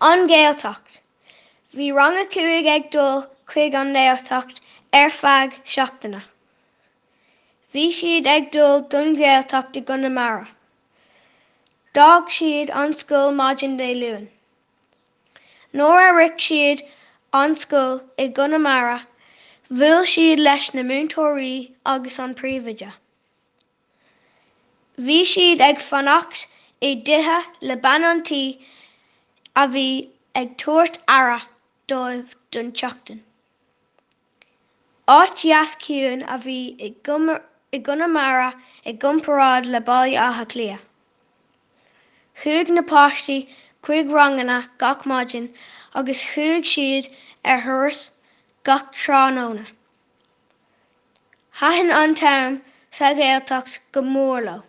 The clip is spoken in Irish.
An Ghaeltacht. Bhí rang a 5 ag dul chuig an nGaeltacht ar feadh seachtaine. Bhí siad ag dul don Ghaeltacht i gConamara. D'fhág siad an scoil maidin Dé Luain. Nuair a shroich siad an scoil i gConamara, bhuail siad leis na múinteoirí agus an príomhoide. Bhí siad ag fanacht i dtithe le bean an tí a bhí ag tabhairt aire dóibh don tseachtain. Áit dheas ciúin a bhí i gConamara i gcomparáid le Baile Átha Cliath. Chuaigh na páistí chuig ranganna gach maidin agus chuaigh siad ar thuras gach tráthnóna. Thaitin an t-am sa Ghaeltacht go mór leo.